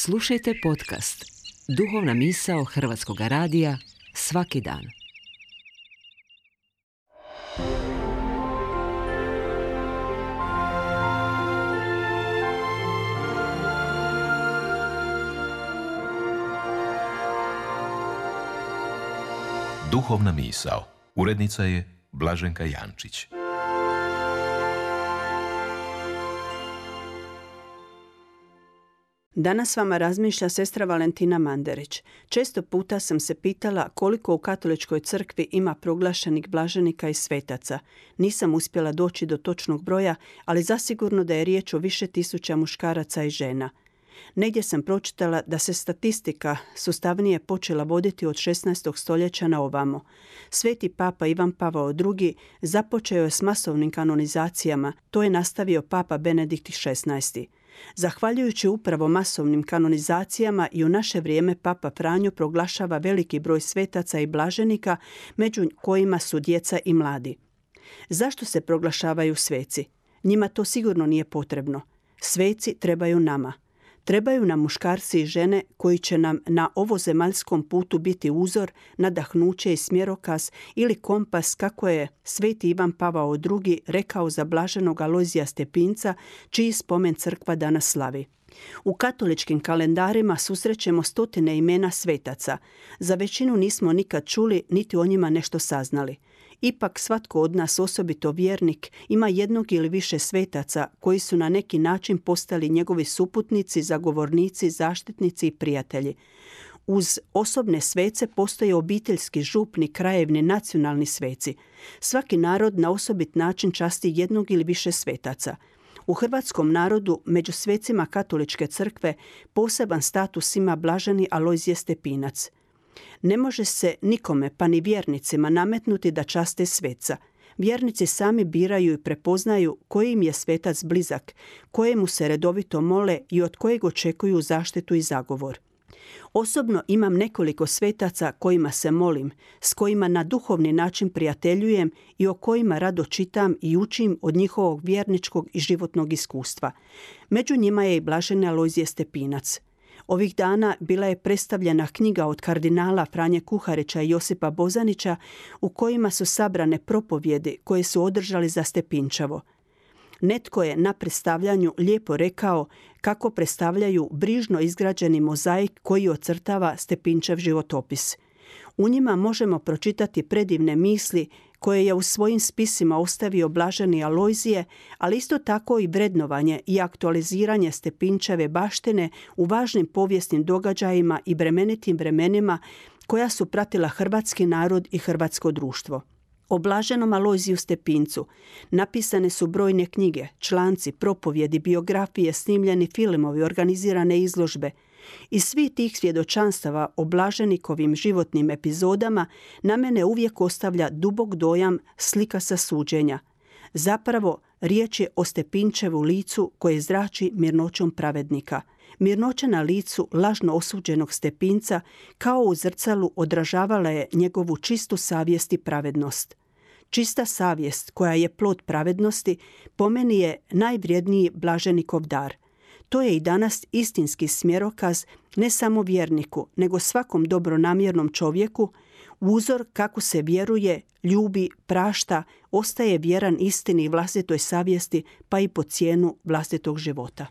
Slušajte podcast Duhovna misao Hrvatskog radija svaki dan. Duhovna misao. Urednica je Blaženka Jančić. Danas vama razmišlja sestra Valentina Manderić. Često puta sam se pitala koliko u katoličkoj crkvi ima proglašenih blaženika i svetaca. Nisam uspjela doći do točnog broja, ali zasigurno da je riječ o više tisuća muškaraca i žena. Negdje sam pročitala da se statistika sustavnije počela voditi od 16. stoljeća na ovamo. Sveti papa Ivan Pavao II. Započeo je s masovnim kanonizacijama, to je nastavio papa Benedikt XVI. Zahvaljujući upravo masovnim kanonizacijama i u naše vrijeme papa Franjo proglašava veliki broj svetaca i blaženika, među kojima su djeca i mladi. Zašto se proglašavaju sveci? Njima to sigurno nije potrebno. Sveci trebaju nama. Trebaju nam muškarci i žene koji će nam na ovozemaljskom putu biti uzor, nadahnuće i smjerokaz ili kompas, kako je sveti Ivan Pavao II. Rekao za blaženog Alojzija Stepinca, čiji spomen crkva danas slavi. U katoličkim kalendarima susrećemo stotine imena svetaca. Za većinu nismo nikad čuli niti o njima nešto saznali. Ipak svatko od nas, osobito vjernik, ima jednog ili više svetaca koji su na neki način postali njegovi suputnici, zagovornici, zaštitnici i prijatelji. Uz osobne svece postoje obiteljski, župni, krajevni, nacionalni sveci. Svaki narod na osobit način časti jednog ili više svetaca. U hrvatskom narodu među svecima katoličke crkve poseban status ima blaženi Alojzije Stepinac. Ne može se nikome, pa ni vjernicima, nametnuti da časte sveca. Vjernici sami biraju i prepoznaju koji im je svetac blizak, kojemu se redovito mole i od kojeg očekuju zaštitu i zagovor. Osobno imam nekoliko svetaca kojima se molim, s kojima na duhovni način prijateljujem i o kojima rado čitam i učim od njihovog vjerničkog i životnog iskustva. Među njima je i blaženi Alojzije Stepinac. Ovih dana bila je predstavljena knjiga od kardinala Franje Kuharića i Josipa Bozanića u kojima su sabrane propovjedi koje su održali za Stepinčevo. Netko je na predstavljanju lijepo rekao kako predstavljaju brižno izgrađeni mozaik koji ocrtava Stepinčev životopis. U njima možemo pročitati predivne misli koje je u svojim spisima ostavio blaženi Alojzije, ali isto tako i vrednovanje i aktualiziranje Stepinčeve baštine u važnim povijesnim događajima i bremenitim vremenima koja su pratila hrvatski narod i hrvatsko društvo. O blaženom Alojziju Stepincu napisane su brojne knjige, članci, propovjedi, biografije, snimljeni filmovi, organizirane izložbe. Iz svih tih svjedočanstava o blaženikovim životnim epizodama na mene uvijek ostavlja dubok dojam slika sa suđenja. Zapravo, riječ je o Stepinčevu licu koje zrači mirnoćom pravednika. Mirnoća na licu lažno osuđenog Stepinca kao u zrcalu odražavala je njegovu čistu savjest i pravednost. Čista savjest koja je plod pravednosti po meni je najvrijedniji blaženikov dar. To je i danas istinski smjerokaz ne samo vjerniku, nego svakom dobronamjernom čovjeku, uzor kako se vjeruje, ljubi, prašta, ostaje vjeran istini i vlastitoj savjesti, pa i po cijenu vlastitog života.